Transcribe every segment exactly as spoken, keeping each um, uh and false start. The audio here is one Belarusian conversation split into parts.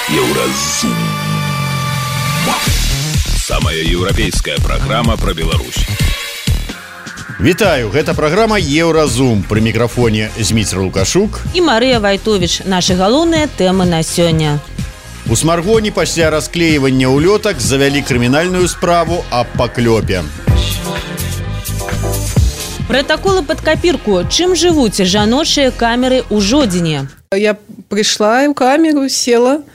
Еўразум. Самая еўрапейская праграма пра Беларусь. Вітаю, гэта праграма Еўразум. Пры мікрафоне Зміцер Лукашук і Марыя Вайтовіч. Нашы галоўныя тэмы на сёння. У Смаргоні пасля расклеівання ўлётак завялі крымінальную справу аб паклёпе. Пратаколы пад капірку. Чым жывуць жаночыя камеры ў Жодзіне? Я прыйшла ў камеру, села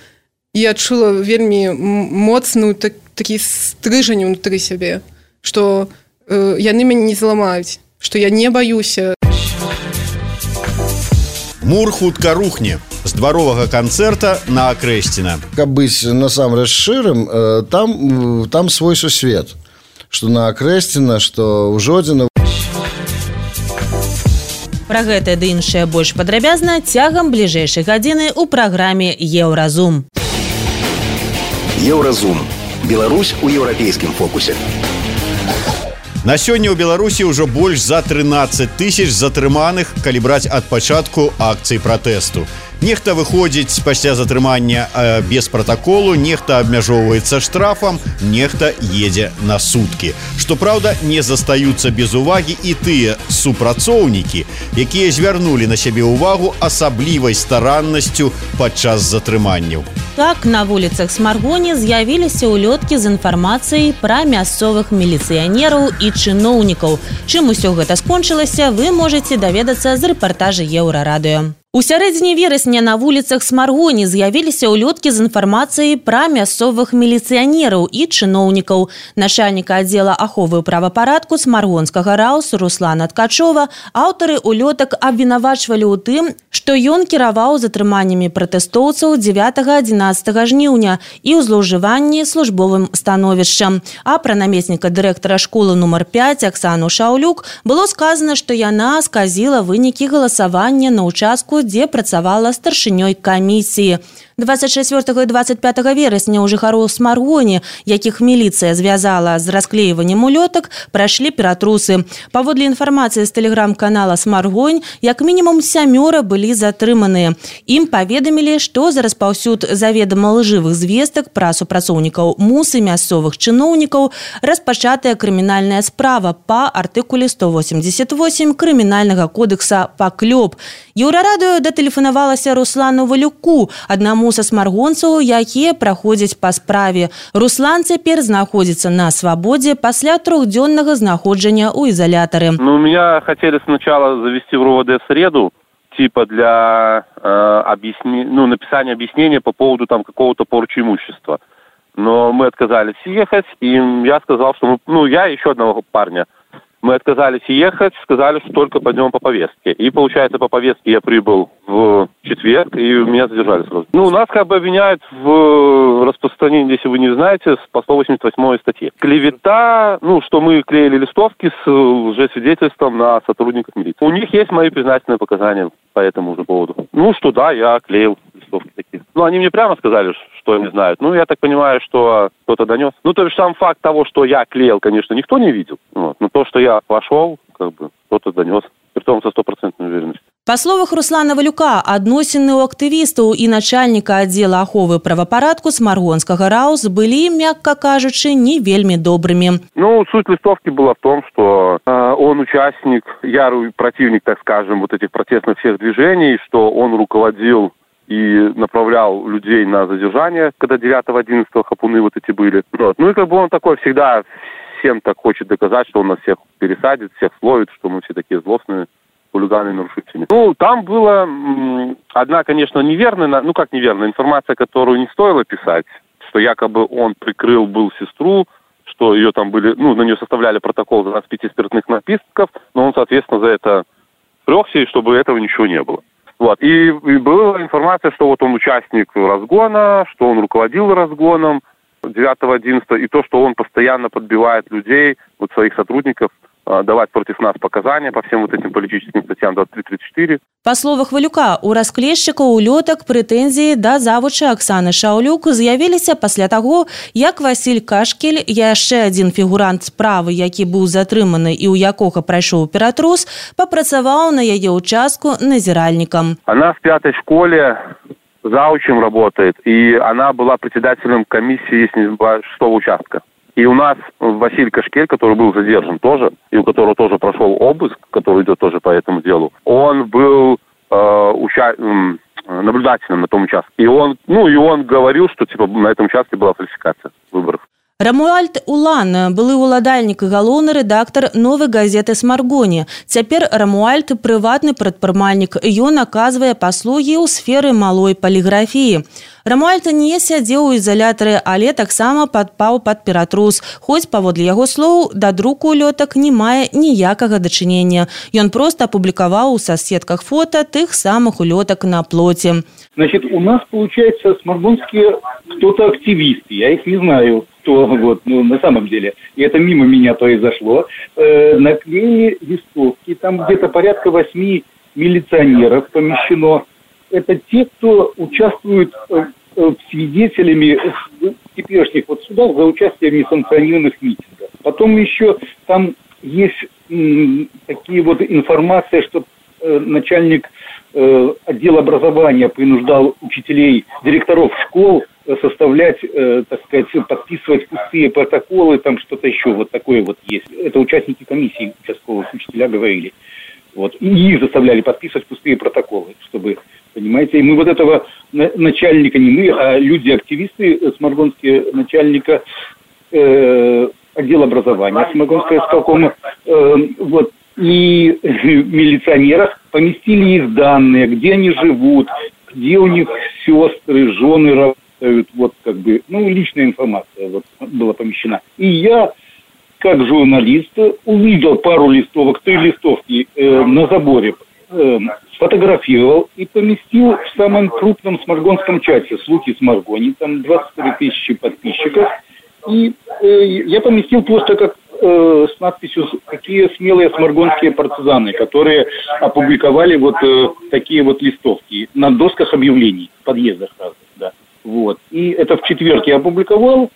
і адчула вельмі моцную так, такі стрыжань унутры сябе, што э, яны мяне не зламаюць, што я не баюся. Мур хутка рухне. З дваровага канцэрта на Акрэсціна. Каб быць насамрэч шчырым, там, там свой сусвет. Што на Акрэсціна, што ў Жодзіна. Пра гэта ды іншае больш падрабязна цягам бліжэйшай гадзіны ў праграме Еўразум. Еўразум. Беларусь у еўрапейскім фокусе. На сёння ў Беларусі ўжо больш за трынаццаць тысяч затрыманых, калі браць ад пачатку акцый пратэсту. Нехта выходзіць пасля затрымання э, без пратаколу, нехта абмяжоўваецца штрафам, нехта едзе на суткі. Што праўда, не застаюцца без увагі і тыя супрацоўнікі, якія звярнулі на сябе ўвагу асаблівай стараннасцю падчас затрыманняў. Так, на вуліцах Смаргоні з'явіліся ўлёткі з інфармацыяй пра мясцовых міліцыянераў і чыноўнікаў. Чым усё гэта скончылася, вы можаце даведацца з рэпартажа Еўрарадыё. У сярэдзіне верасня на вуліцах Смаргоні з'явіліся ўлёткі з інфармацыяй пра мясцовых міліцыянераў і чыноўнікаў. Начальніка аддзела аховы правапарадку Смаргонскага РАУС Руслана Ткачова аўтары ўлётак абвінавачвалі ў тым, што ён кіраваў затрыманнямі пратэстоўцаў дзевятага-адзінаццатага жніўня і ў злоўжыванні службовым становішчам. А пра намесніка дырэктара школы нумар пяць Аксану Шаўлюк было сказана, што яна сказіла вынікі галасавання на ўчастку, дзе працавала старшынёй камісіі. дваццаць чацвёртага і дваццаць пятага верасня ў жыхароў Смаргоні, якіх міліцыя звязала з расклеіваннем улётак, прайшлі ператрусы. Паводле інфармацыі з тэлеграм-канала Смаргонь, як мінімум сямёра былі затрыманыя. Ім паведамілі, што за распаўсюд заведама лжывых звестак пра супрацоўнікаў МУС і мясцовых чыноўнікаў распачатая крымінальная справа па артыкуле сто восемьдесят восемь крымінальнага кодекса «Паклёп». Еўрарадыё датэлефанавалася Руслану Валюку, аднаму са смаргонцаў, якія праходзяць па справе. Руслан цяпер знаходзіцца на свабодзе пасля трохдзённага знаходжання ў изолятары. Ну, меня хотели сначала завести в РОВД в среду, типа для э, объясни... ну, написания объяснения по поводу там какого-то порчи имущества. Но мы отказались ехать, и я сказал, что мы... ну, я и еще одного парня. Мы отказались ехать, сказали, что только пойдем по повестке. И, получается, по повестке я прибыл в четверг, и меня задержали сразу. Ну, нас как бы обвиняют в распространении, если вы не знаете, по сто восемьдесят восьмой статье. Клевета, ну, что мы клеили листовки с лжесвидетельством на сотрудников милиции. У них есть мои признательные показания по этому же поводу. Ну, что да, я клеил листовки такие. Ну, они мне прямо сказали, что они знают. Ну, я так понимаю, что кто-то донес. Ну, то есть сам факт того, что я клеил, конечно, никто не видел. Вот. Но то, что я пошел, как бы, кто-то донес. Притом со стопроцентной уверенностью. Па словах Руслана Валюка, адносіны ў актывістаў і начальніка аддзела аховы правапарадку Смаргонскага РАУС былі, мякка кажучы, не вельмі добрымі. Ну, суть листовки была в том, что э, он участник, ярый противник, так скажем, вот этих протестных всех движений, что он руководил и направлял людей на задержание, когда девятого-одиннадцатого хапуны вот эти были. Вот. Ну и как бы он такой всегда всем так хочет доказать, что он нас всех пересадит, всех словит, что мы все такие злостные хулиганы и нарушители. Ну, там была м, одна, конечно, неверная, ну как неверная, информация, которую не стоило писать, что якобы он прикрыл был сестру, что ее там были, ну, на нее составляли протокол за двадцать пять спиртных напитков, но он, соответственно, за это прёгся, и чтобы этого ничего не было. Вот. И, и была информация, что вот он участник разгона, что он руководил разгоном девятого-одиннадцатого, и то, что он постоянно подбивает людей, вот своих сотрудников, давать против нас показания по всем вот этим политическим статьям двадцать три тридцать четыре. Па словах Валюка, у расклейшчыкаў улётак прэтэнзіі да завучы Аксаны Шаўлюк з'явіліся пасля таго, як Васіль Кашкель, яшчэ адзін фігурант справы, які быў затрыманы і ў якога прайшоў ператрус, папрацаваў на яе ўчастку назіральнікам. Она в пятой школе заучем работает, и она была председателем комиссии, если не забываю, шестого участка. И у нас Василий Кашкель, который был задержан тоже, и у которого тоже прошел обыск, который идет тоже по этому делу, он был э, уча... наблюдателем на том участке. И он, ну, и он говорил, что типа на этом участке была фальсификация выборов. Рамуальд Улан, былы уладальнік і галоўны рэдактар новай газеты «Смаргоні». Цяпер Рамуальд – прыватны прадпрымальнік. Ён аказвае паслугі ў сферы малой паліграфіі. Рамуальд не сядзеў у ізалятары, але таксама падпаў пад ператрус. Хоць, паводле яго слоў, да друку улётак не мае ніякага дачынення. Ён проста апублікаваў у соцсетках фота тых самых улётак на плоце. Значит, у нас, получается, смаргонские кто-то активисты, я их не знаю, кто, вот, ну, на самом деле, и это мимо меня произошло, э, наклеили листовки, там где-то порядка восьми милиционеров помещено. Это те, кто участвует э, э, свидетелями в теперешних вот судах за участие в несанкционированных митингах. Потом еще там есть м, такие вот информация, что э, начальник э, отдела образования принуждал учителей, директоров школ составлять, э, так сказать, подписывать пустые протоколы, там что-то еще вот такое вот есть. Это участники комиссии участковых учителя говорили. Вот. И их заставляли подписывать пустые протоколы, чтобы, понимаете, и мы вот этого начальника, не мы, а люди-активисты, смаргонские начальника э, отдела образования Смаргонского исполкома, э, вот, и милиционеров поместили их данные, где они живут, где у них сестры, жены работают, вот как бы, ну, личная информация вот была помещена. И я, как журналист, увидел пару листовок, три листовки э, на заборе, э, сфотографировал и поместил в самом крупном смаргонском чате «Слухи Смаргони», там двадцать три тысячи подписчиков, и э, я поместил просто как э, с надписью «Какие смелые смаргонские партизаны», которые опубликовали вот э, такие вот листовки на досках объявлений в подъездах разных, да. Вот. И это в четверг я опубликовал.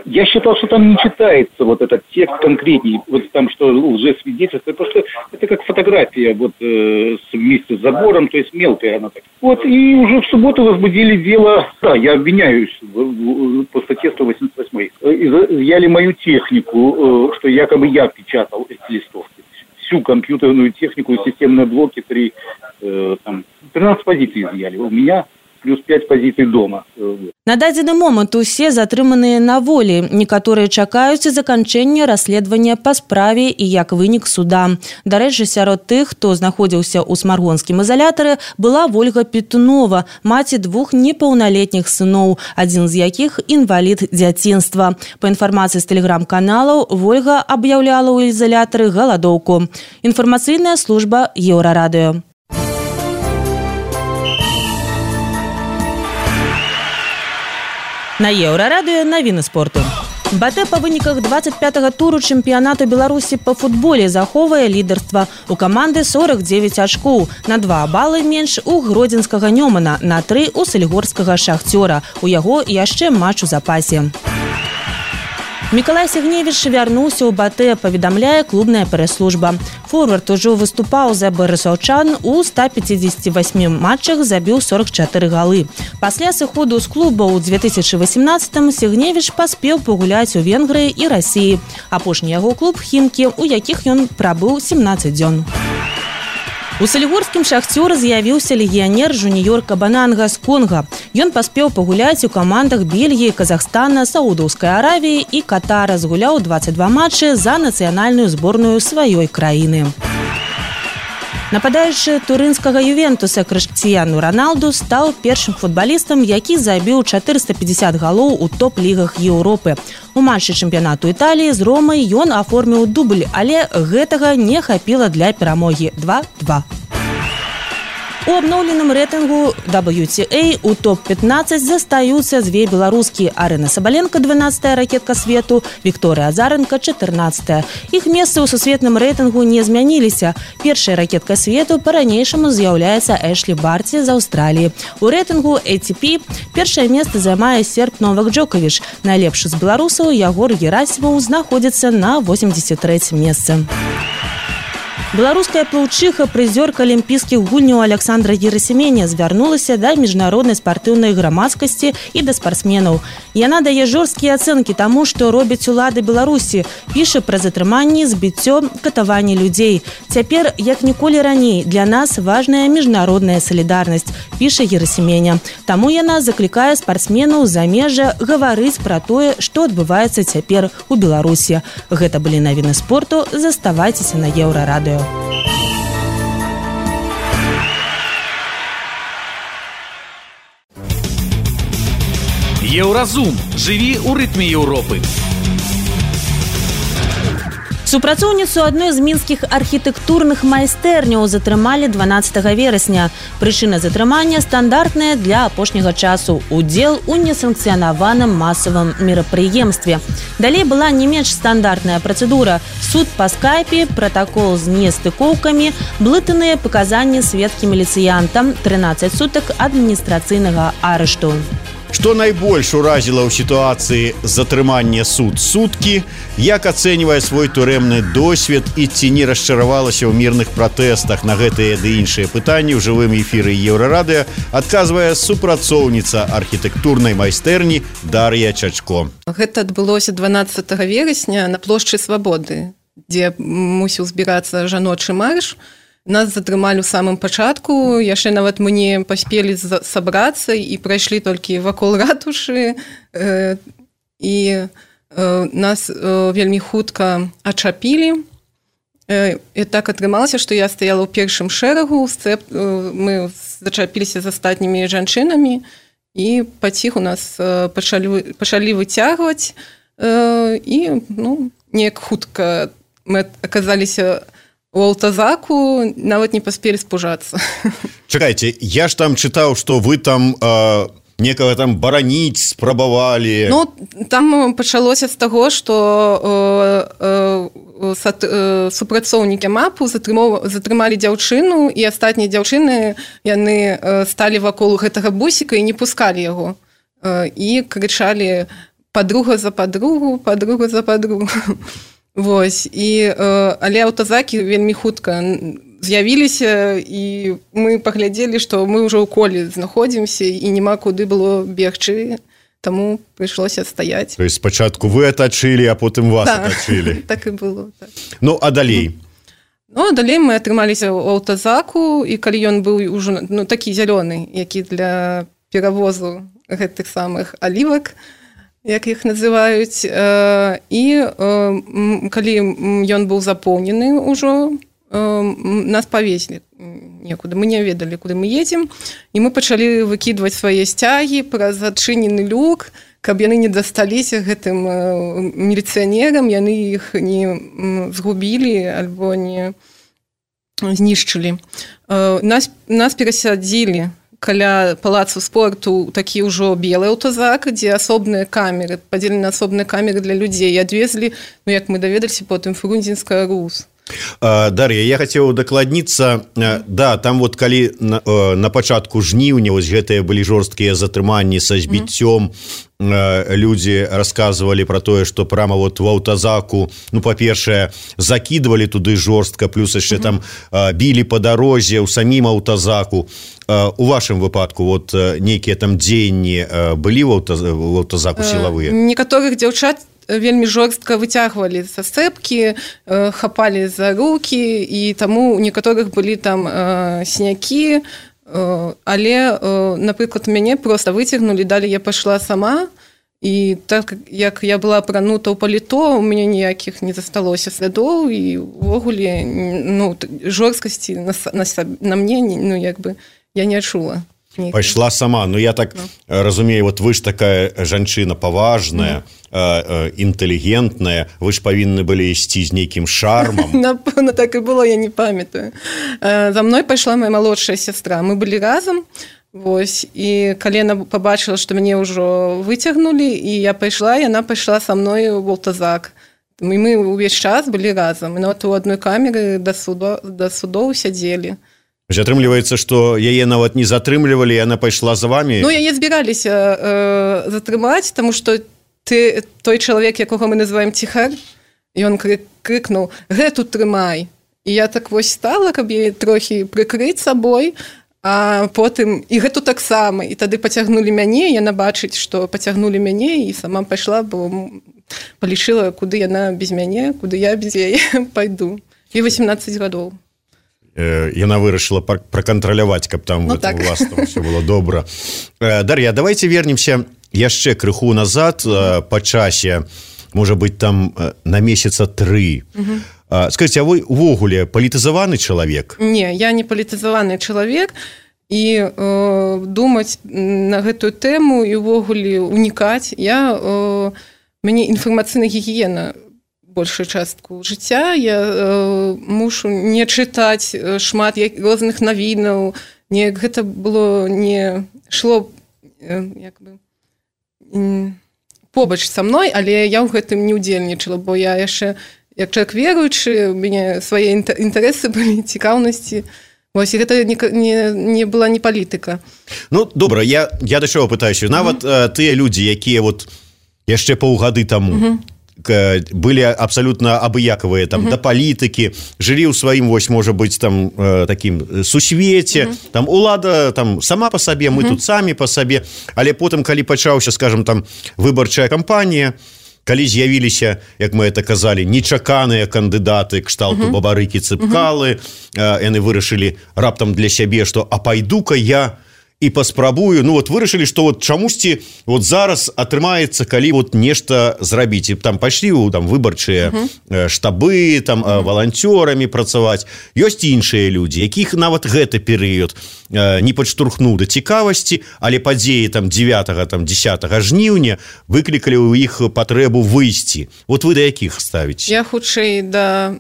Я считал, что там не читается вот этот текст конкретней, вот там, что лжесвидетельство, потому что это как фотография вот э, вместе с забором, то есть мелкая она так. Вот, и уже в субботу возбудили дело, да, я обвиняюсь в, в, по статье сто восемьдесят восемь. Изъяли мою технику, э, что якобы я печатал эти листовки. Всю компьютерную технику, системные блоки, три, э, там, тринадцать позиций изъяли. У меня плюс пять позиций дома. На дадзены момант усе затрыманыя на волі. Некаторыя чакаюць заканчэння расследавання па справе і як вынік суда. Дарэчы, сярод тых, хто знаходзіўся ў смаргонскім ізалятары, была Вольга Петунова, маці двух непаўналетніх сыноў, адзін з якіх інвалід дзяцінства. Па інфармацыі з тэлеграм-каналаў, Вольга аб'яўляла ў ізалятары галадоўку. Інфармацыйная служба Еўрарадыё. На Еўрарадыё навіны спорту. БАТЭ па выніках двадцать пятага туру чэмпіянату Беларусі па футболе захоўвае лідарства. У каманды сорок девять ачкоў, на два балы менш у гродзенскага Нёмана, на тры у сальгорскага Шахцёра. У яго яшчэ матч у запасе. Мікалай Сігневіч вярнуўся ў БАТЭ, паведамляе клубная прэс-служба. Форвард ужо выступаў за барысаўчан, у ста пятидесяти восьми матчах забіў сорок четыре галы. Пасля сыходу з клуба ў две тысячи восемнадцатым Сігневіч паспеў пагуляць у Венгрыі і Расіі. Апошні яго клуб «Хімкі», у якіх ён прабыў семнадцать дзён. У сальгорскім Шахцёры з'явіўся легіянер жуніёр Кабананга з Конга. Ён паспеў пагуляць у камандах Бельгіі, Казахстана, Саудаўскай Аравіі і Катара, згуляў двадцать два матчы за нацыянальную зборную сваёй краіны. Нападаючы турынскага Ювентуса Крыштіяну Роналду стаў першым футбалістам, які забіў четыреста пятьдесят галоў у топ-лігах Еўропы. У матчы чэмпіянату Італіі з Ромай ён аформіў дубль, але гэтага не хапіла для перамогі два два. У абноўленым рэйтынгу дабл ю ти эй у топ пятнадцать застаюцца дзве беларускі: Арына Сабаленко, дванаццатая ракетка свету, Вікторыя Азаренко, чатырнаццатая. Іх месцы ў сусветным рэйтынгу не змяніліся. Першая ракетка свету па-ранейшаму з'яўляецца Эшлі Барці з Аўстраліі. У рэйтынгу эй ти пи першае месца займае серб Новак Джоковіч. Найлепшы з беларусаў Ягор Герасімаў знаходзіцца на восемьдесят трэцім месцы. Беларуская плаўчыха, прызёрка алімпійскіх гульняў Александра Герасименя звярнулася да міжнароднай спартыўнай грамадскасці і да спартсменаў. Яна дае жорсткія ацэнкі таму, што робяць улады Беларусі, піша пра затрыманні, збіццё, катаванне людзей. Цяпер, як ніколі раней, для нас важная міжнародная салідарнасць, піша Герасименя. Таму яна заклікае спартсменаў замежжа гаварыць пра тое, што адбываецца цяпер у Беларусі. Гэта былі навіны спорту. Заставайцеся на Еўрарадыё. Еўразум. Жыві ў рытме Еўропы. Супрацоўніцу адной з мінскіх архітэктурных майстэрняў затрымалі дванаццатага верасня. Прычына затрымання стандартная для апошняга часу – удзел у несанкцыянаваным масавым мерапрыемстве. Далей была не менш стандартная працэдура – суд па скайпе, пратакол з нестыкоўкамі, блытаныя паказанні сведкі міліцыянтам, трынаццаць сутак адміністрацыйнага арышту. Што найбольш уразіла ў сітуацыі затрымання суд суткі, як ацэньвае свой турэмны досвед і ці не расчаравалася ў мірных пратэстах на гэтыя ды іншыя пытанні ў жывым эфіры Еўрарадыё, адказвае супрацоўніца архітэктурнай майстэрні Дар'я Чачко. Гэта адбылося дванаццатага верасня на плошчы Свабоды, дзе мусіў збірацца жаночы марш. Нас затрымалі ў самым пачатку, яшчэ нават мы не паспелі сабрацца і прайшлі толькі вакол ратушы, э, і э, нас э, вельмі хутка ачапілі. Э, і так атрымалася, што я стаяла ў першым шэрагу, сцеп, э, мы зачапіліся з астатнімі жанчынамі і паціху нас э, пачалі, пачалі выцягваць, э, і ну, неяк хутка мы аказаліся у аўтазаку, нават не паспелі спужацца. Чакайце, я ж там чытаў, што вы там э, некага там бараніць спрабавалі. Ну, там пачалося з таго, што э, э, э, супрацоўнікі мапу затрымалі дзяўчыну, і астатнія дзяўчыны, яны э, сталі вакол гэтага бусіка і не пускалі яго. Э, і крычалі «падруга за падругу, падруга за падругу». Вось, і, э, але аўтазакі вельмі хутка з'явіліся, і мы паглядзелі, што мы ўжо ў коле знаходзімся і няма куды было бегчы, таму прыйшлося стаяць. То есть спачатку вы атачылі, а потым вас так, атачылі. Так і было. Так. Ну, а далей? Ну, а далей мы атрымаліся ў аўтазаку, і калі ён быў ужо ну, такі зялёны, які для перавозу гэтых самых алівак, як іх называюць, і калі ён быў запоўнены ўжо, нас павезлі некуды, мы не ведалі, куды мы едзем, і мы пачалі выкідваць свае сцягі праз адчынены люк, каб яны не дасталіся гэтым міліцыянерам, яны іх не згубілі альбо не знішчылі. Нас, нас перасядзілі каля палацу спорту такі ўжо белы аўтазак, дзе асобныя камеры, падзелены на асобныя камеры для людзей, і адвезлі, ну як мы даведаліся потым, Фрунзенская РУС. Дар'я, я хацеў дакладніцца, да, там вот калі на, на пачатку жніўня вось гэтыя былі жорсткія затрыманні са збіццём, mm-hmm. людзі расказвалі пра тое, што прямо вот у аўтазаку, ну, па-першае, закідвалі туды жорстка, плюс яшчэ mm-hmm. там білі па дарозе ў самім аўтазаку. У вашым выпадку вот нейкія там дзеянні былі ў аўтазаку сілавыя? Некаторых дзяўчат вельмі жорстка выцягвалі са сцэпкі, хапалі за рукі, і таму у некаторых былі там э, сінякі, э, але, э, напрыклад, мяне проста выцягнулі, далі я пайшла сама, і так як я была апранута ў паліто, у мяне ніякіх не засталося слядоў, і увогуле ну, жорсткасці на, на, на мне ну, як бы, я не адчула. Пайшла сама, ну я так no. разумею, вот вы ж такая жанчына паважная, mm. э, э, інтэлігентная, вы ж павінны былі ісці з нейкім шармам. Напэўна, так і было, я не памятаю. За мной пайшла моя малодшая сястра, мы былі разам, вось, і калі яна пабачыла, што мяне ўжо выцягнулі, і я пайшла, яна пайшла са мной у аўтазак. І мы ўвесь час былі разам, і нават у адной камеры да судоў, да судоў сядзелі. Атрымліваецца, што яе нават не затрымлівалі, яна пайшла за вамі? Ну, яе збіраліся э, затрымаць, таму што ты, той чалавек, якога мы называем ціхар, ён крыкнуў: гэту трымай. і я так вось стала, каб яе трохі прыкрыць сабой, а потым і гэту таксама, і тады пацягнулі мяне, яна бачыць, што пацягнулі мяне, і сама пайшла, бо палічыла, куды яна без мяне, куды я без яе пайду. І восемнадцаць гадоў. Яна вырашыла пракантраляваць, каб там ну, так. у вас там все было добра. Дар'я, давайте вернемся яшчэ крыху назад па часе, можа быць там на месяца тры. Угу. Скажите, а вы увогуле палітызаваны чалавек? Не, я не палітызаваны чалавек, і э, думаць на гэтую тэму і увогуле унікаць. Я, э, мяне інфармацыйная гігіена большую частку жыцця, я э, мушу не чытаць шмат розных навінаў, не, гэта было не шло э, як бы, э, побач са мной, але я ў гэтым не ўдзельнічала, бо я яшчэ як чалавек веруючы, у мяне свае інтарэсы былі, цікаўнасці. Вось, і гэта не, не, не была не палітыка. Ну, добра, я, я да чаго пытаюся. Нават uh-huh. тыя людзі, якія вот яшчэ паўгады таму uh-huh. былі абсалютна абыякавыя там, uh-huh. да палітыкі, жылі ў сваім, вось, можа быць, там, такім сусвеце, uh-huh. там, улада там, сама па сабе, мы uh-huh. тут самі па сабе, але потым, калі пачаўся, скажам, там, выбарчая кампанія, калі з'явіліся, як мы это казалі, нечаканыя кандыдаты кшталту uh-huh. Бабарыкі, Цыпкалы, uh-huh. яны вырашылі раптам для сябе, што а пайду-ка я і паспрабую, ну вот вырашылі, што вот чамусьці вот зараз атрымаецца, калі вот нешта зрабіць, і там пайшлі ў там выбарчыя uh-huh. штабы, там uh-huh. валанцёрамі працаваць. Ёсць іншыя людзі, якіх нават гэты перыяд не падштурхнуў да цікавасці, але падзеі там дзевятага, там дзесятага жніўня выклікалі ў іх патрэбу выйсці. Вот вы да якіх ставіце? Я хутчэй да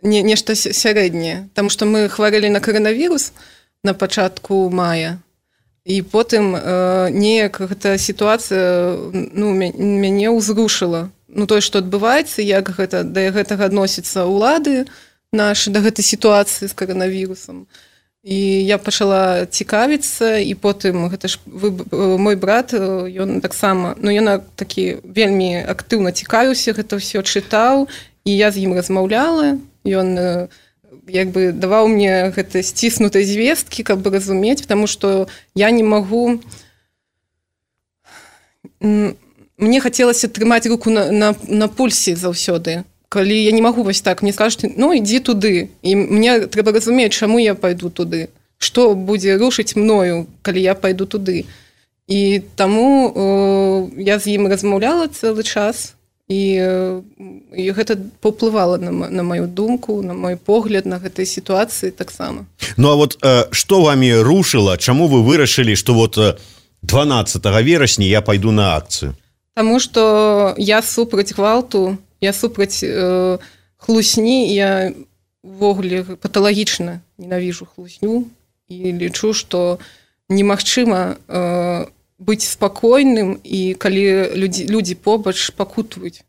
не, нешта сярэдняе, таму што мы хварэлі на каранавірус на пачатку мая. І потым э, неяк гэта сітуацыя ну, мяне ўзрушыла. Ну, тое, што адбываецца, як гэта, да гэтага адносіцца ўлады нашы, да гэтай сітуацыі з каранавірусам. І я пачала цікавіцца, і потым гэта ж вы, мой брат, ён таксама, ну, ён такі вельмі актыўна цікавіўся, гэта ўсё чытаў, і я з ім размаўляла, ён як бы даваў мне гэта сціснутай звесткі, каб разумець, потому што я не магу... Мне хацелася трымаць руку на, на, на пульсе заўсёды. Калі я не магу вось так, мне скажуць, ну, ідзі туды. І мне трэба разумець, чаму я пайду туды. Што будзе рушыць мною, калі я пайду туды. І таму э, я з ім размаўляла цэлы час, і, і гэта паўплывала на, на маю думку, на мой погляд на гэтай сітуацыі таксама. Ну а вот э, што вамі рушыла, чаму вы вырашылі, што вот дванаццатага верасня я пайду на акцыю? Таму што я супраць гвалту, я супраць э, хлусні, я ввогуле паталагічна ненавіжу хлусню і лічу, што немагчыма э, быць спакойным, і калі людзі, людзі побач пакутваюць.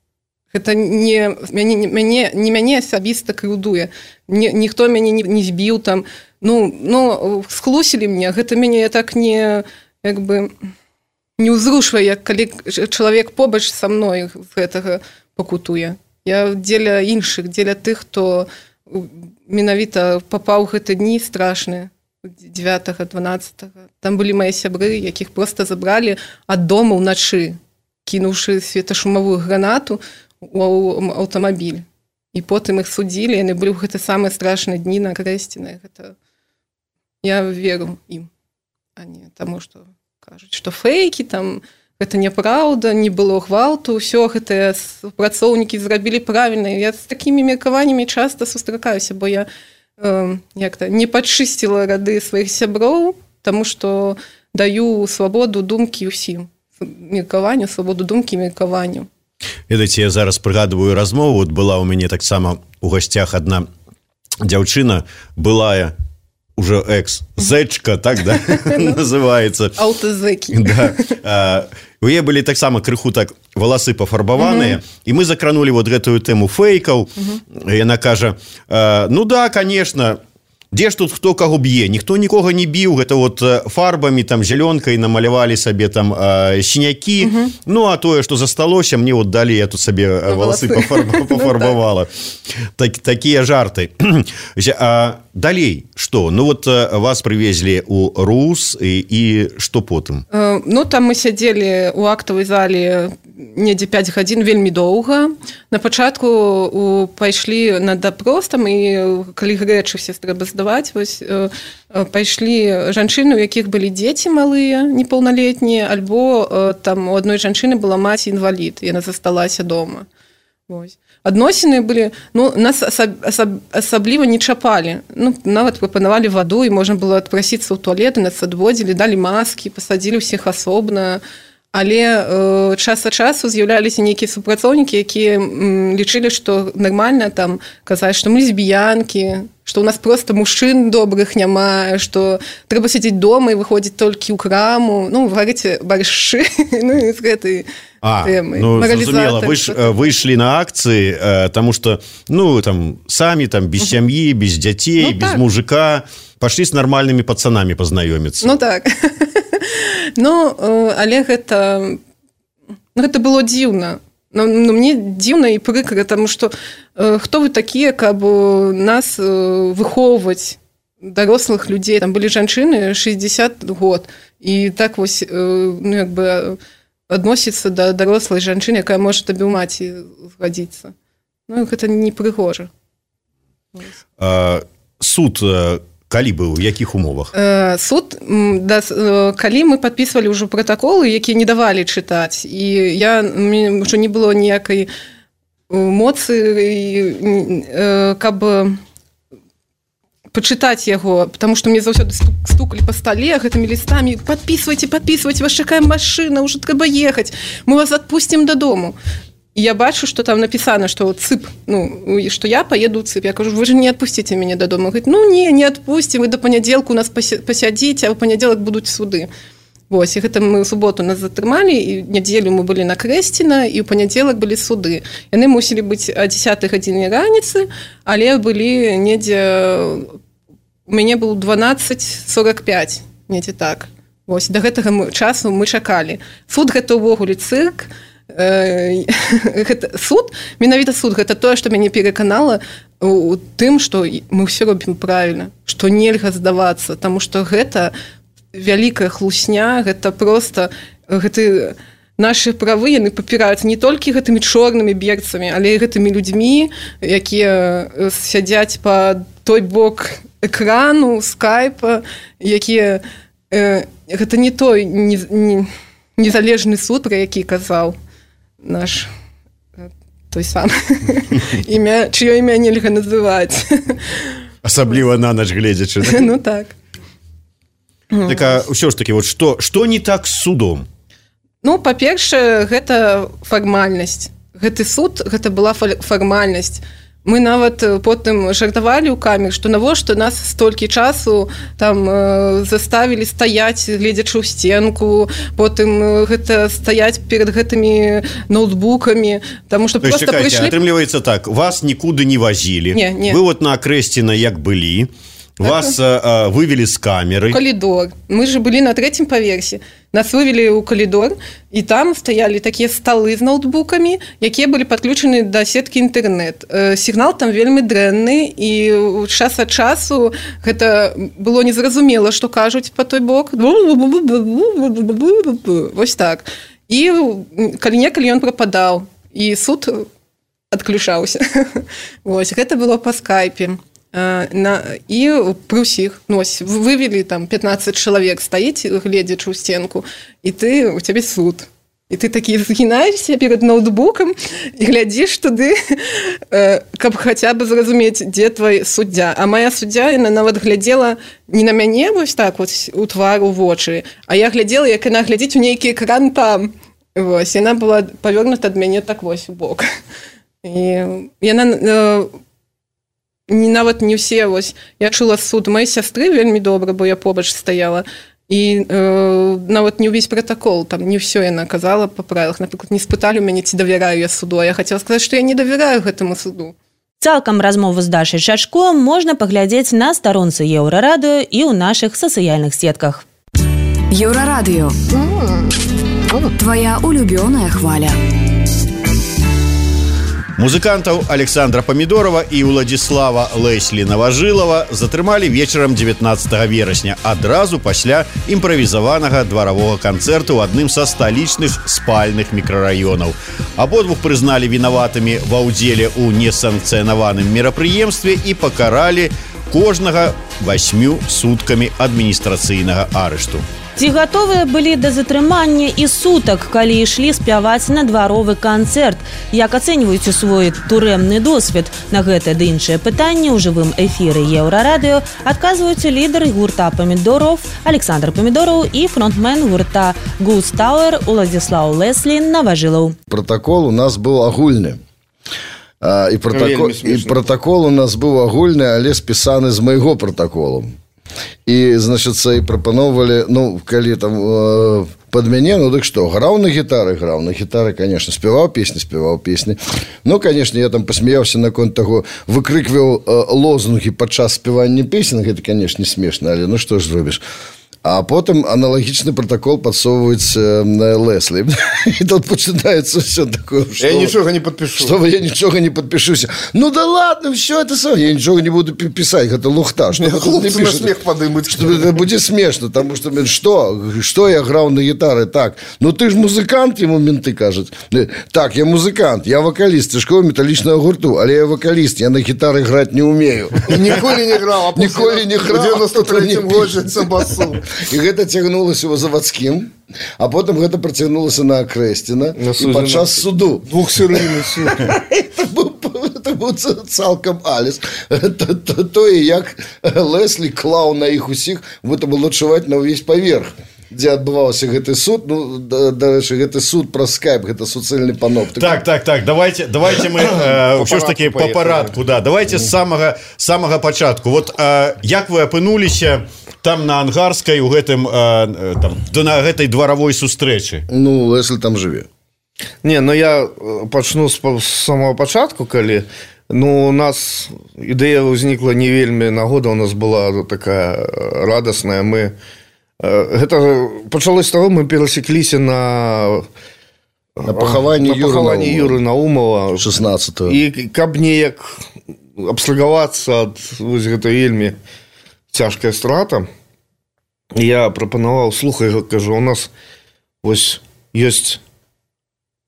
Гэта не мяне, мяне, не мяне асабіста крыўдуе. Ні, ніхто мяне не, не збіў там. Ну, ну, схлусілі мне, гэта мяне так не, як бы, не ўзрушвае, як калі чалавек побач са мной з гэтага пакутуе. Я дзеля іншых, дзеля тых, хто менавіта папаў гэты дні страшныя. дзевятага, дванаццатага. Там былі мае сябры, якіх проста забралі ад дома ўначы, кінуўшы светашумовую гранату ў аўтамабіль. І потым іх судзілі, яны былі ў гэты самыя страшныя дні на Крэсціны. Гэта... Я веру ім, а не таму, што кажуць, што фейкі, там, гэта няпраўда, не было гвалту, ўсё гэтыя працоўнікі зрабілі правільна. Я з такімі меркаваннямі часта сустракаюся, бо я як-то не падчысціла рады сваіх сяброў, таму што даю свабоду думкі ўсім. Меркаванню, свабоду думкі, меркаванню. Ведаеце, я зараз прыгадываю размову, вот была у мяне таксама у гасцях адна дзяўчына, былая уже экс-зэчка, так, да, называецца. Аўтазэкі. Да. У яе былі таксама крыху так валасы пафарбаваныя, і мы закранулі вот гэтую тэму фейкаў. Яна кажа, ну да, конечно, Дзе ж тут хто каго б'е, ніхто нікога не біў, гэта вот фарбамі там зялёнкай намалявалі сабе там э, сінякі. Угу. Ну а тое што засталося, мне вот далі я тут сабе валасы пафарбавала. Так, такія жарты. А далей што? Ну вот вас прывезлі ў РУС і, і што потым? Ну там мы сядзелі у актавай зале недзе пяць гадзін, вельмі доўга. На пачатку у, пайшлі на допрос, там, і калі рэчы все трэба здаваць, вось, э, пайшлі жанчыны, у якіх былі дзеці малыя, непаўналетнія, альбо э, там у адной жанчыны была маці-інвалід, яна засталася дома. Вось. Адносіны былі, ну, нас асаб, асаб, асабліва не чапалі. Ну, нават прапанавалі ваду, і можна было адпрасіцца ў туалет, нас адводзілі, далі маскі, пасадзілі ўсіх асобна. Але э, час ад часу з'яўляліся нейкія супрацоўнікі, якія м, лічылі, што нармальна там казаць, што мы лесбіянкі, што ў нас проста мужчын добрых няма, што трэба сядзець дома і выходзіць толькі ў краму. Ну, варыце баршчы, ну, з гэтай а, тэмай. Ну, зразумела, вы ж выйшлі на акцыі, э, таму што, ну, там, самі там без сям'і, без дзяцей, ну, без так. мужика, пашлі з нармальнымі пацанамі пазнаёміцца. Ну, так. Ну, але гэта, гэта было дзіўна. Ну, мне дзіўна і прыкра, таму што э, хто вы такія, каб нас э, выхоўваць, дарослых людзей. Там былі жанчыны шэсцьдзесят год. І так вось, э, ну, як бы адносіцца да дарослай жанчыны, якая можа табе ў маці згадзіцца. Ну, гэта не прыгожа. А, суд калі быў, у якіх умовах? Суд, да, калі мы падпісвалі ўжо пратаколы, якія не давалі чытаць, і я, ўжо не было ніякай моцы, каб пачытаць яго, потому што мне заўсёды стукалі па стале гэтымі лістамі: падпісвайце, падпісвайце, вас чакае машына, ўжо трэба ехаць, мы вас адпусцім дадому. И я бачу, что там написано, что ЦИП, ну, что я поеду в ЦИП. Я говорю: вы же не отпустите меня до дома. Он говорит: ну, не, не отпустим, вы до понеделька у нас посядите, а в понедельник будут суды. Вот, и это мы в субботу нас затрымали, и неделю мы были на Крэсціна, и в понедельник были суды. И они мусили быть о десятой гадзіне раніцы, але были недзе... У меня был дванаццаць сорок пять, недзе так. Вот, до гэтага часу мы чакалі. Суд — гэта ўвогуле цырк. Гэта суд, менавіта суд, гэта тое, што мяне пераканала у тым, што мы ўсё робім правільна, што нельга здавацца, таму што гэта вялікая хлусня, гэта проста гэты нашы правы, яны папіраюцца не толькі гэтымі чорнымі берцамі, але і гэтымі людзьмі, якія сядзяць па той бок экрану, скайпа, якія э, гэта не той не, не, незалежны суд, пра які казаў наш той сам імя, чье імя нельга называць. Асабліва на ноч гледзячы. Ну так. Так, а ўсё ж таки, вот што, што не так з судом? Ну, па-першае, гэта фармальнасць. Гэты суд, гэта была фармальнасць. Мы нават потым жартавалі ў камеры, што навошта нас столькі часу там э, заставілі стаяць, гледзячы ў стенку, потым гэта стаяць перад гэтымі ноутбукамі, таму што проста чакайце, прыйшлі... атрымліваецца так, вас нікуды не вазілі, не, не. Вы вот на Крэсціна як былі, вас а, вывели з камеры. Калідор. Мы же былі на трэцім паверсе. Нас вывели ў калідор, і там стаялі такія сталы з ноутбукамі, якія былі падключаны да сеткі інтэрнэт. Сігнал там вельмі дрэнны, і час ад часу гэта было незразумела, што кажуць па той бок. Вось так. І калі-некалі ён прападаў, і суд адключаўся. Вось, гэта было па скайпе. На, і пры ўсіх, ну, вывели там пятнадцать чалавек, стаіць, гледзячы ў стенку, і ты, у цябе суд. І ты такі згінаешся перад ноутбукам і глядзіш туды, каб хаця бы зразумець, дзе твой суддзя. А моя суддзя, яна нават глядзела не на мяне вось так вот у твар, у вочы, а я глядзела, як яна глядзіць у нейкі экран там. Вось, яна была павёрнута ад мяне так вось у бок. І яна... Не, нават не ўсе, вось, я чула суд маёй сястры вельмі добра, бо я побач стаяла, і э, нават не ўвесь пратакол, там не ўсё яна казала па правілах. Напрыклад, не спыталі ў мяне, ці давяраю я суду, а я хацела сказаць, што я не давяраю гэтаму суду. Цалкам размову з Дашай Чачко можна паглядзець на старонцы Еўрарадыё і ў нашых сацыяльных сетках. Еўрарадыё. Твоя улюбёная хваля. Музыкантаў Александра Памідорова і Уладзіслава Леслі Наважылава затрымалі вечарам дзевятнаццатага верасня, адразу пасля імправізаванага дваравога канцэрту ў адным са сталічных спальных мікрараёнаў. Абодвух прызналі вінаватымі ва ўдзеле ў несанкцыянаваным мерапрыемстве і пакаралі кожнага васьмю суткамі адміністрацыйнага арышту. Ці гатовыя былі да затрымання і сутак, калі ішлі спяваць на дваровы канцэрт? Як ацэньваюць свой турэмны досвед? На гэта ды іншыя пытанні ў жывым эфіры Еўрарадыё адказваюць лідары гурта «Памідоров» Александр Памідоров і фронтмен гурта «Ghost Tower» Уладзіслаў Леслі Наважылаў. Протокол у нас быў агульны. А, і, протокол, і протокол у нас быў агульны, але спісаны з майго протоколу. І, значыць, і прапановвалі, ну, калі там э, пад мяне, ну, дык што, граў на гітары, граў на гітары, конечно, спяваў песні, спяваў песні. Ну, конечно, я там посмяяўся наконт таго, выкрыкваў э, лозунгі падчас спявання песен, гэта, конечно, не смешна, але ну што ж зробіш. А потым аналагічны протокол падсоўваюць э, Леслі. І тут пачынаецца ўсё такое, што... Я нічога не падпішу. Што я нічога не падпішуся. Ну да ладно, все это сам. Я нічога не буду пісаць, гэта лухта. Што хлопцы на смех падымуць. Што это будзе смешна, таму што, што, што я граў на гітары? Так, ну ты ж музыкант, яму менты кажуць. Так, я музыкант, я вакаліст цяжкого металічнага гурту, але я вакаліст, я на гітары граць не умею. Ніколі не граў, а ніколі не граў. У девяносто третьем годзе басу. І гэта цягнулася ў завадскім, а потым гэта працягнулася на Акрэсціна і падчас суду. Двухсерыйны суд. Это быў цалкам аліс. Тое, як Леслі клаў на іх усіх, гэта было чуваць на ўвесь паверх, дзе адбываўся гэты суд. Ну, дарэчы, гэты суд праз скайп, гэта суцэльны паноптык. Так, так, так, давайте, давайте мы ўсё ж такі па парадку, да, давайте з самага, самага пачатку. Вот як вы апынуліся там на Ангарскай у гэтым э, там, на гэтай дваравой сустрэчы? Ну, Леслі там жыве. Не, ну я пачну з, з самого пачатку, калі ну, у нас ідэя ўзнікла не вельмі нагода, у нас была такая радасная. Мы э, гэта пачалось з таго, мы перасекліся на на пахаванні Юры, Юры Наумова шестнадцатого. І каб неяк абслугавацца ад вось гэта вельмі цяжкая страта, я прапанаваў, слухай, кажу, у нас вось ёсць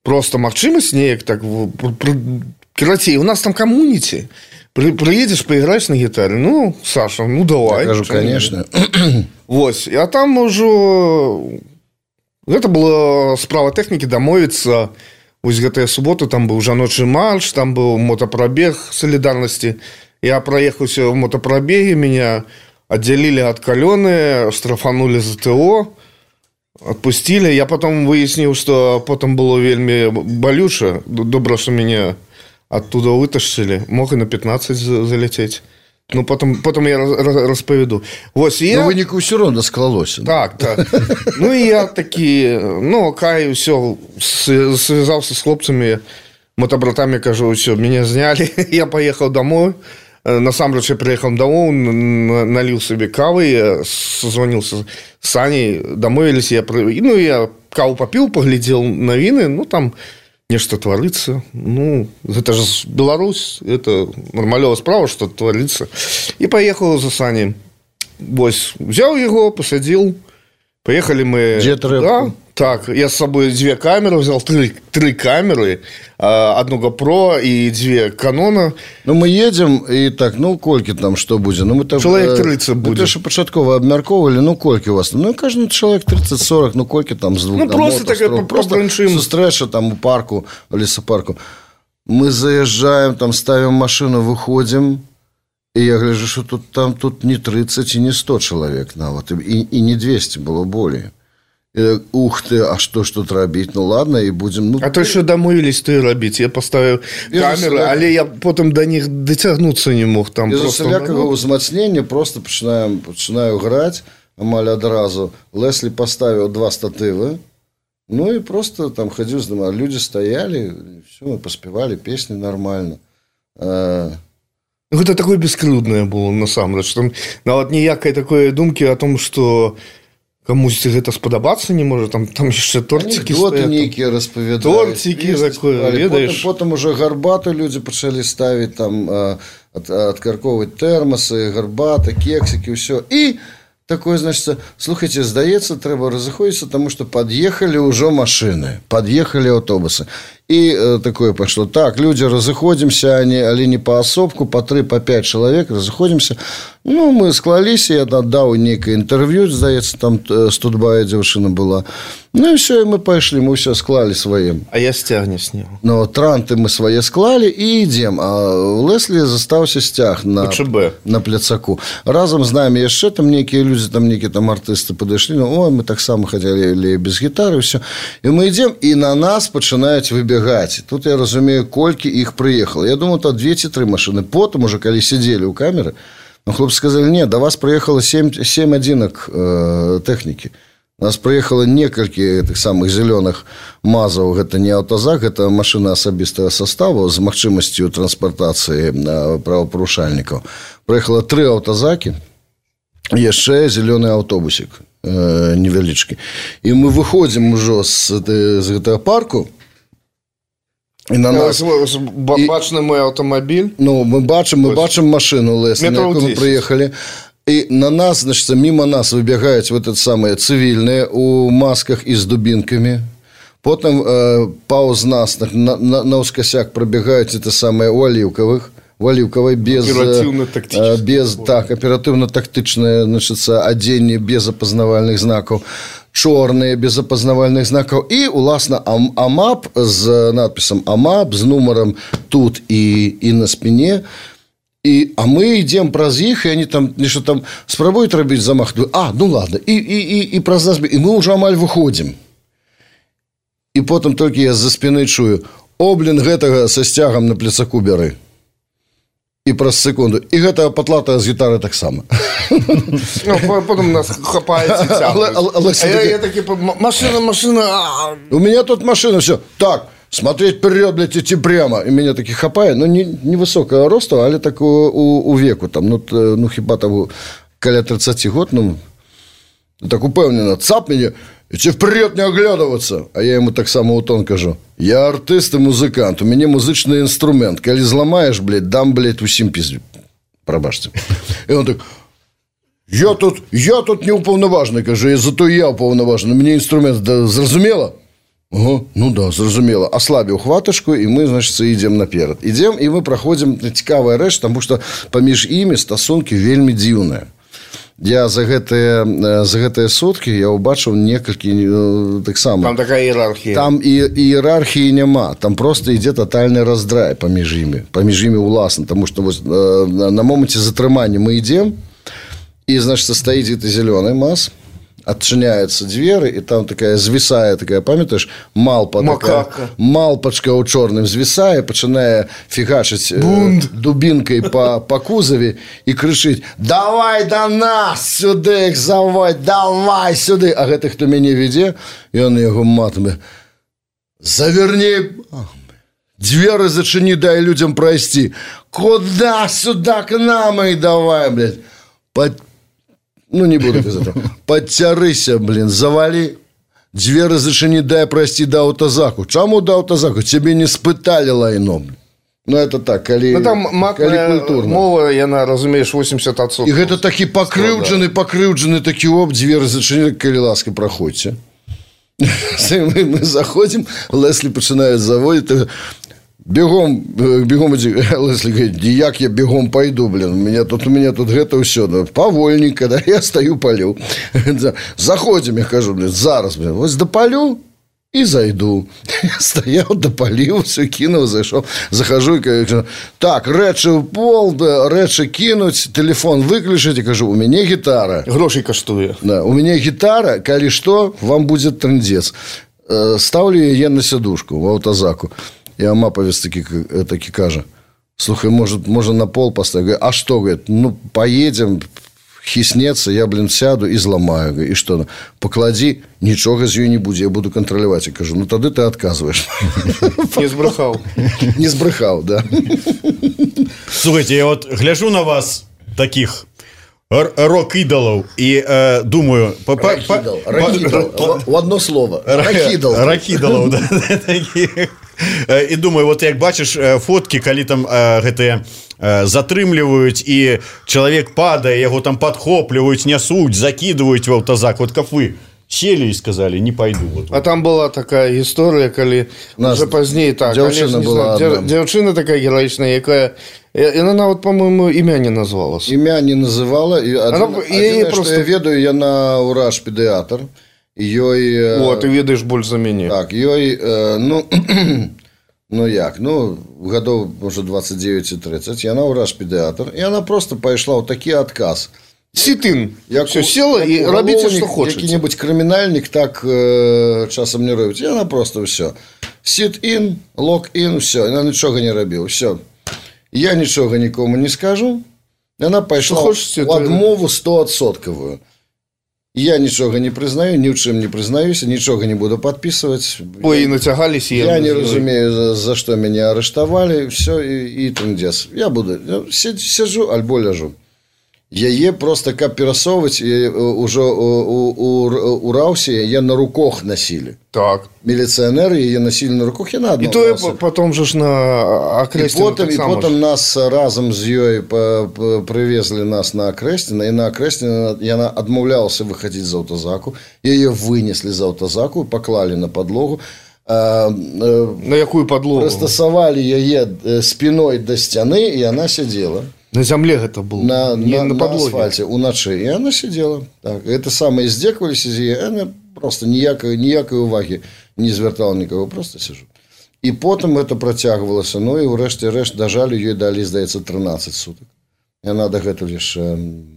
просто магчымасць неяк так, карацей, у нас там камуніці, прыедзеш, паіграеш на гітары. Ну, Саша, ну давай. Я кажу, конечно. Вось, а там ужо гэта была справа тэхнікі дамовіцца. Вось гэтая субота, там быў жаночы марш, там быў мотапрабег салідарнасці. Я праехаўся в мотопробеге, меня отделили от Калены, штрафанули за ТО, отпустили. Я потом выяснил, что потом было вельми болюче. Добро, что меня оттуда вытащили. Мог и на пятнадцать залететь. Ну, потом, потом я расповеду. Вось, я... Ну, вынику все равно склалось. Так, так. Ну, и я таки, ну, кай, все, связался с хлопцами, мотобратами, кажу, все, меня сняли. Я поехал домой. Насамрэч, я приехал домой, налил себе кавы, я созвонился с Саней, домовились, я, ну, я каву попил, поглядел новины, ну, там нешта творится. Ну, это же Беларусь, это нормальная справа, что творится. И поехал за Саней. Вось, взял его, посадил, поехали мы... Где трэпку? Да, так, я с собой две камеры взял, три, три камеры, одну GoPro и две Канона. Ну, мы едем, и так, ну, кольки там, что будет? Ну, мы там... Человек тридцать будет. Мы тоже початково обмярковывали, ну, кольки у вас. Ну, каждый человек тридцать-сорок, ну, кольки там с двух Ну, просто такая побранчим. Сустрэча там у парку, в лесопарку. Мы заезжаем, там ставим машину, выходим, и я гляжу, что тут, там тут не тридцать и не сто человек, на вот, и, и не двести было более. И, ух ты, а что ж тут робить? Ну ладно, и будем... Ну, а то що домовились то і робити. Я поставив камеру, але я потім до них дотягнутися не мог. Там без просто... усілякого узмацнення просто починаю, починаю грати, амаль одразу. Леслі поставив два стативи, ну и просто там ходил, знаю, люди стояли, все, мы поспевали, песни нормально. э... Гэта такое бескрыўднае было насамрэч, там нават ніякай такой думкі о том, што камусьці гэта спадабацца не можа, там там яшчэ торцікі стаяць, нейкія распавядаюць, торцікі такое, ведаеш, потым уже гарбату людзі пачалі ставіць, там адкарковваць тэрмасы, гарбата, кексікі, ўсё. І такое, значит, слухайте, здаецца, трэба разыходзіцца, таму што пад'ехалі ўжо машыны, пад'ехалі аўтобусы. І э, такое пайшло. Так, людзі, разыходзімся, але не паасобку, па тры, па пяць чалавек разыходзімся. Ну, мы склаліся, я аддаў нейкае інтэрв'ю, здаецца, там студбая дзяўчына была. Ну, і все, і мы пайшлі, мы ўсё склалі свае. А я сцяг не сняў. Ну, транты мы свае склалі і ідзем. А у Леслі застаўся сцяг на, на пляцаку. Разам з намі яшчэ там нейкія людзі, там нейкія там артысты падышлі. Ну, ой, мы таксама хадзілі без гітары, ўсё. І мы ідзем, і на нас пачынаюць выбегаць. Тут я разумею, колькі іх прыехала. Я думаю, то две ці тры машыны. Потым уже, калі сидзелі ў камеры, ну, хлопцы сказали, не, до вас прыехала сем адзінак э, тэхнікі. У нас прыехала некалькі тых самых зялёных мазаў. Гэта не аўтазак, гэта машына асабістага составу з магчымасцю транспартацыі э, правапарушальнікаў. Прыехала тры аўтазакі, яшчэ зялёны аўтобусік э, невялічкі. І мы выходзім ужо з, з гэтага парку. І на нас бачны мой аўтамабіль. Ну, мы бачым, мы бачым машыну Леслі, на якую мы прыехалі. І на нас, значит, мимо нас выбегаюць вот это самые цивільныя у масках і з дубінкамі. Потым э, паўз нас на, на, на ускосяк пробегаюць это самые у аліўкавых. У аліўкавай без, э, без так, аператыўна-тактычнае, значит, адзенне без апазнавальных знакаў. Чорныя без апазнавальных знакаў і уласна АМАП з надпісам АМАП з нумарам тут і, і на спіне. І, а мы ідзем праз іх, і они там нешта там спрабуюць рабіць замах. А, ну ладно, і, і, і, і праз нас, і мы ўжо амаль выходзім. І потым толькі я з-за спіны чую: о, блин, гэтага са сцягам на пляцаку бяры. І праз секунду. І гэта патлатая з гітары таксама. Ну, потом нас хапають і тягнуть. А я, я таки, машина, машина. У меня тут машина, все. Так, смотреть вперед, блядь, идти прямо. И меня таки хапает. Ну, не, невысокого роста, але так у, у, у веку. Там, ну, ну, хіба там каля тридцати год, ну, так упевнено. Цап меня, идти вперед, не оглядываться. А я ему так само у тон кажу: я артист и музыкант, у меня музычный инструмент. Коли зламаешь, блядь, дам, блядь, усім пиздю. Пробачьте. И он так: Я тут, я тут не уповноважений, каже, зато я уповноважений. Мені інструмент, да, зрозуміло? Ага, ну да, зрозуміло. Ослабив хваточку, і ми, значить, йдемо наперед. Йдемо, і ми проходимо цікаву реч, тому що поміж імі стосунки вельми дивні. Я за гэтыя, за гэтыя суткі я ўбачыў некалькі таксама. Там такая іерархія. Там і іерархіі няма. Там просто ідзе тотальны раздрай паміж імі. Паміж імі ўласна. Таму што вось, на моманце затрымання мы ідзем, і, значит, стаіць гэты зялёны маз, адчыняюцца дзверы, і там такая звісае, такая, памятаеш, малпа, такая, малпачка ў чорным звісае, пачынае фігачыць дубінкай па, па кузаве і крычыць: давай да нас сюды, заводь, давай сюды. А гэты, хто мяне вядзе, ён яго матамі: заверни, дзверы зачыні, дай людзям прайсці. Куда? Сюда, к нам, и давай, блядь. Под... Ну, не буду казаць. Подцярыся, блин, завали. Дзверы зачыні, дай прайсці да аўтазаку. Чаму да аўтазаку? Цябе не спыталі лайно. Ну, это так, калі, ну, там матная мова, яна, разумееш, восемьдесят адсоткаў. І гэта такі пакрыўджаны, пакрыўджаны такі оп, дзверы зачыні, калі ласка, праходзьце. Мы, мы заходим, Леслі пачынае заводіць. Бегом, бегом идти. Леслі говорит: як я бегом пойду, блин, у меня тут, у меня тут гэта все, да, повольненько, да, я стою, палю. Заходим, я кажу, блин, зараз, блин, вот допалю и зайду. Я стоял, допалил, все кинул, зашел, захожу и говорю: так, рэчы в пол, да, рэчы кинуть, телефон выключить, и кажу: у меня гитара. Грошей каштуе. Да, у меня гитара, коли что, вам будет трындец. Ставлю я на сидушку в аўтазаку. И Амаповец таки, таки каже: слухай, может, можно на пол поставить? А что, говорит, ну, поедем, хіснецца, я, блин, сяду і зламаю. І што? Пакладзі, нічога з ёй не будзе, я буду кантраляваць. Я кажу, ну тады ты адказваеш. Не збрэхаў. Не збрэхаў, да. Слухайте, я вот гляжу на вас таких рок-идолов и э, думаю... Рок-идол, рок-идол, в одно слово. Рок-идол. Рок-идолов, да, таких. І думаю, вот як бачыш фоткі, калі там э, гэтыя э, затрымліваюць і чалавек падае, яго там падхопліваюць, нясуць, закидываюць в аўтазак, вот как вы сели и сказали, не пойду. Вот. А там была такая история, коли уже позднее так. Девчина была знаю, девчина такая героичная, якая... И она, вот, по-моему, имя не назвалась. Имя не называла. И один, она, один, просто... что я ведаю, я на ураж педиатр. Ёй... О, ты ведаешь больше за меня. Так, ёй, э, ну... Ну як, ну, годов, может, двадцать девять тридцать, яна ураж педиатр, и она просто пошла вот такий отказ. Сітин. Все, села и робите, что хочете. Какой-нибудь криминальник так э, часом не робит. И она просто все. Sit-in, lock-in, все. Она ничего не робила. Все. Я ничего никому не скажу. Она пошла в отмову стовідсотковую. Я ничего не признаю, ни в чем не признаюсь, ничего не буду подписывать. Ой, я, натягались. Я, я не разумею, за, за что меня арестовали. Все, и, и трындец. Я буду, сижу, альбо ляжу. Яе просто каб перасоўваць уже у, у, у Раўсе яе на руках носили. Так. Милиционеры яе носили на руках, яна адна. И то потом же ж на Акрэсціна. И потом, и потом нас разом з ёй привезли нас на Акрэсціна, и на Акрэсціна яна адмаўлялася выходить з аўтазаку. Яе вынесли з аўтазаку, поклали на подлогу. А, на якую подлогу? Прыстасавалі яе спиной до сцяны, и она сидела. На земле это было, на, не на, на, на асфальте, уначы. И она сидела. Так. Это самое здзеквались из ее. Она просто никакой, никакой уваги не звертала никого. Просто сижу. И потом это протягивалось. Ну и врешті решт дожали, ей дали, здається, тринадцать суток. И она до гэтага лишь,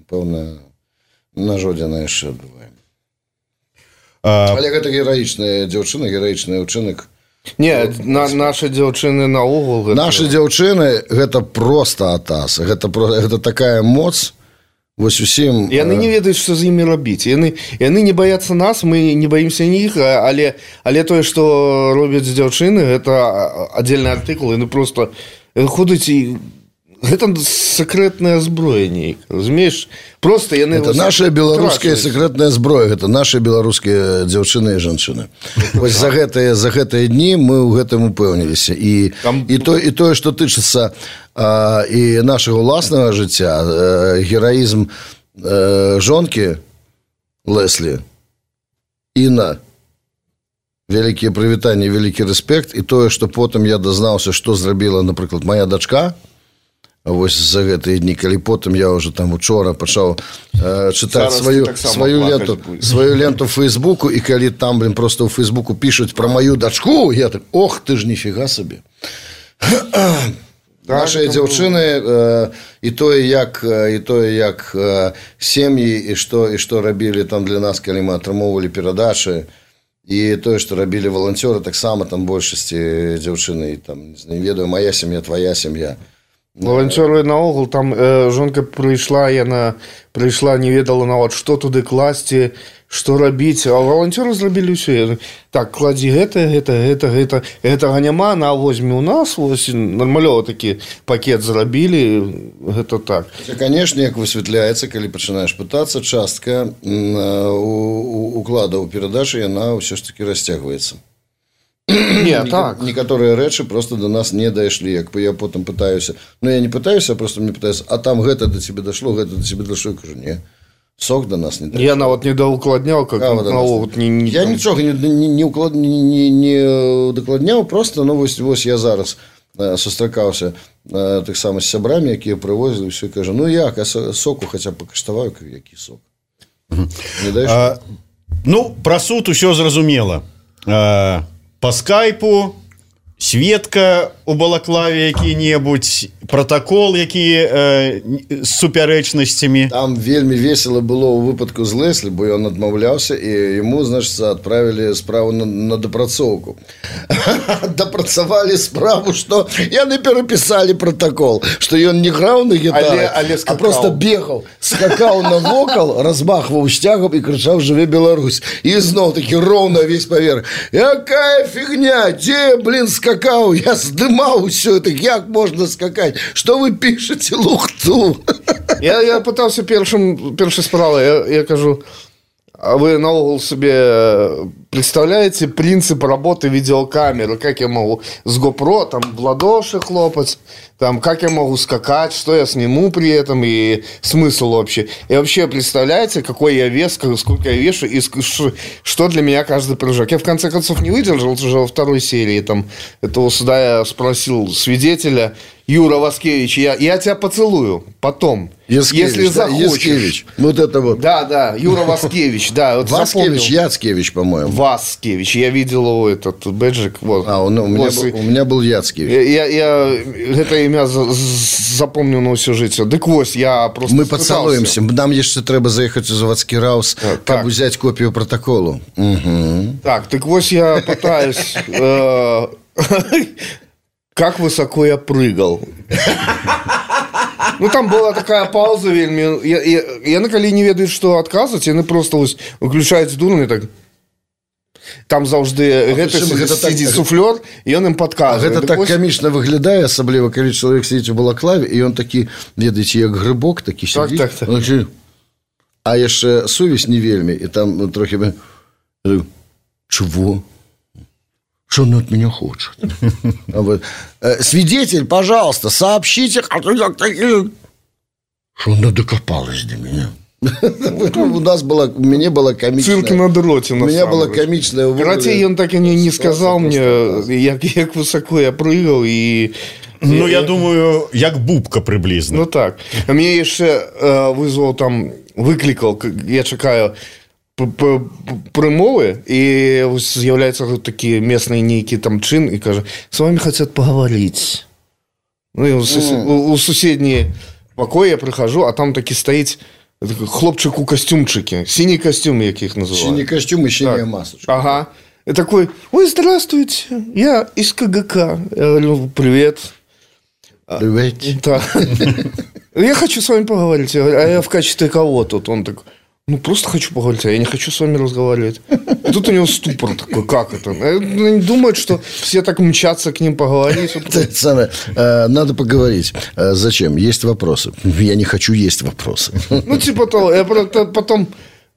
певно, нажодзяна яшчэ адбывае. А... Але гэта гераічная дзяўчына, гераічны ўчынак. Не, на, наши дзяўчыны наогул гэта... Наши дзяўчыны гэта просто атас. Гэта, гэта такая моц. Вось усім... Яны не ведаюць, што з імі рабіць. Яны, яны не баяцца нас, мы не баімся іх, але, але тое, што робяць дзяўчыны, гэта аддзельны артыкул, яны просто ходзяць і... Гэта сакрэтная зброя нейкая, разумееш? Просто яны... Это наша беларуская сакрэтная зброя, гэта наши беларускія дзяўчыны і жанчыны. Вось за гэтыя, за гэтыя дні мы ў гэтым упэўніліся. І, Там... і, то, і тое, што тычыцца а, і нашага ўласнага жыцця, а, гераізм а, жонкі Леслі, Інна, вялікія прывітанні, вялікі рэспект, і тое, што потым я дазнаўся, што зрабіла, напрыклад, моя дачка, вось за гэтыя дні, калі потым я уже там учора пачаў э, чытаць сваю, сваю ленту будешь. сваю ленту в Фейсбуку, і калі там, блин, просто ў Фейсбуку пишуць про мою дачку, я так, ох, ты ж нифига сабе. Наши дзяўчыны э, і тое, як і тое, як э, сем'і і што, і што рабілі там для нас, калі мы атрымоўвалі перадачы, і тое, што рабілі валанцёры, таксама там большасці дзяўчыны, там, не ведаю, моя сям'я, твоя сям'я. Волонтеры наогул, там э, жонка прыйшла, яна прыйшла, не ведала нават, што туды класці, што рабіць, а волонтеры зрабілі ўсё. Так, кладзі гэта, гэта, гэта, гэта, гэтага няма, на возьме у нас, вось нармалёва такі пакет зрабілі, гэта так. Конечно, як высвятляецца, калі пачынаеш пытацца, частка уклада ў перадачы, яна ўсё ж таки расцягваецца. Не, так. Некоторые рэчы просто до нас не дайшлі. Як я потым пытаюся, ну я не пытаюся, а просто мне пытаюся, а там гэта до тебе дошло, гэта до тебе дошло, я кажу, не, сок до нас не дайшло. Я нават не доукладняў, как навогул не, не я там... нічога не, не, не, уклад... не, не докладняў, просто, ну вось, вось я зараз сустракаўся так само з сябрамі, якія прывозілі, все, і кажу, ну як, а соку хаця б пакаштаваю, які сок. Не дайшло? А, ну, пра суд усё зразумела. А... По скайпу сведка у балаклаве які-небудзь, протакол які э, з супярэчнасцямі. Там вельмі весело было ў выпадку з Леслі, бо ён адмаўляўся, і яму, значит, адправілі справу на, на дапрацоўку. Дапрацавалі справу, што яны перапісалі протакол, што ён не граў на гітары, але, але а просто бегаў, скакаў на вокал, размахваў сцягам і крычаў «Жыве Беларусь». І зноў такі роўна весь паверх. Якая фігня, дзе, блин, скакаў, я здымаў усё это, як можна скакаць? Што вы пішаце лухту? Я, я пытаўся першым, першай справай, я, я кажу, а вы наогул себе представляете принцип работы видеокамеры? Как я могу с GoPro там в ладоши хлопать? Там, как я могу скакать? Что я сниму при этом? И смысл вообще? И вообще представляете, какой я вес, сколько я вешу и что для меня каждый прыжок? Я в конце концов не выдержал уже во второй серии. Там, этого суда я спросил свидетеля: Юра Васкевич, я, я тебя поцелую потом, Яцкевич, если да, захочешь. Яцкевич. Вот это вот. Да, да, Юра Васкевич, да. Вот Васкевич, Яцкевич, по-моему. Васкевич, я видел его, этот бэджик. Вот. А, он, у, меня вот. был, у меня был Яцкевич. Я, я, я это имя запомнил на всю жизнь. Дык вось, я просто Мы поцелуемся. Нам еще треба заехать в заводский раус, а, как взять копию протокола. Угу. Так, так вось я пытаюсь... Как высоко я прыгал. Ну, там была такая пауза вельмі. Я, я, я на калі не ведаю, што адказваць, яны просто вось выключаюць дурны так. Там заўжды гэты сидзіць так... суфлёр, і ён ім падказвае. Гэта так вось... камічна выглядае, асабліва калі чалавек сидзіць у балаклаве, і ён такі, ведаеце, як грыбок, такі сидзіць. Так, так, так. А яшчэ сувязь не вельмі, і там трохи... Чего? Что он от меня хочет? Свидетель, пожалуйста, сообщите. Что она докопалась до меня? У нас была, у меня была комичная... Цирк на дроте, на У меня была комичная... Короче, он так и не, не сказал мне, як, як высоко я прыгал, и... Ну, я думаю, як бубка приблизно. Ну, так. А мне еще э, вызвал там, выкликал, я чекаю... прымовы, і з'яўляюцца такія местныя нейкі там чын і кажа, с вами хотят поговорить. Ну, і у, сусед... mm. у суседні пакоі я прыхожу, а там такі стаіць хлопчык у костюмчыке, сіні костюм, як іх называют. Сіні костюм і сіняя масочка. Ага. И такой: ой, здравствуйте, я из КГК. Я говорю: привет. Привет. Да. Я хочу с вами поговорить. Я говорю: а я в качестве кого тут? Он такой: ну, просто хочу поговорить, а я не хочу с вами разговаривать. И тут у него ступор такой: как это? Они думают, что все так мчатся к ним поговорить. Самое, надо поговорить. Зачем? Есть вопросы. Я не хочу есть вопросы. Ну, типа того. Я потом...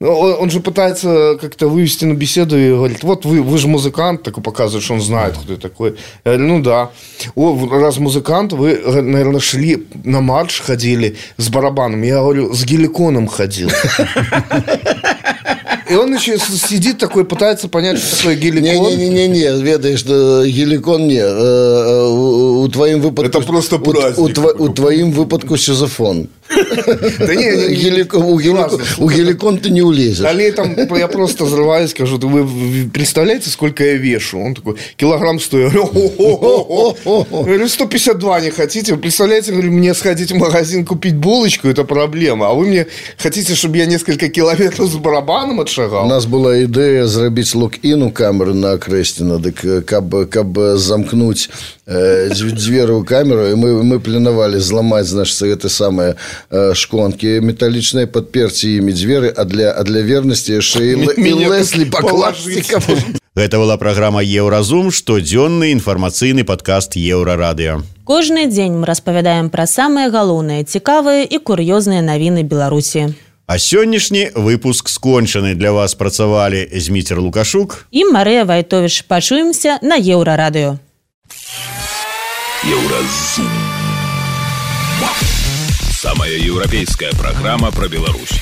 Он же пытается как-то вывести на беседу и говорит: вот вы, вы же музыкант, такой показывает, что он знает, кто я такой. Я говорю: ну да. О, раз музыкант, вы, наверное, шли на марш, ходили с барабаном. Я говорю: с геликоном ходил. И он еще сидит такой, пытается понять, что такое геликон. Не-не-не, ведаешь, что геликон не. У твоим выпадку... Это просто праздник. У твоим выпадку шизофон. Да не, у геликон ты не улезешь. Далее там я просто взрываюсь, скажу: вы представляете, сколько я вешу? Он такой: килограмм сто. Я говорю: сто пятьдесят два не хотите? Вы представляете, мне сходить в магазин купить булочку — это проблема. А вы мне хотите, чтобы я несколько километров с барабаном отшагал? У нас была идея зрабіць лок-ін у камеры на Акрэсціна, дык каб, каб замкнуть э, дзверы ў камеру, і мы, мы планавалі зламаць, значит, гэта самае шклонки металлічныя, падперці імі дзверы, а для, а для вернасці яшчэ і Леслі пакласціка. Гэта была праграма «Еўразум», штодзённы інфармацыйны падкаст Еўрарадыё. Кожны дзень мы распавядаем пра самыя галоўныя, цікавыя і кур'ёзныя навіны Беларусі. А сённяшні выпуск скончаны. Для вас працавалі Зміцер Лукашук і Марыя Вайтовіч. Пачуемся на Еўрарадыё. Еўразум. Самая еўрапейская программа про Беларусь.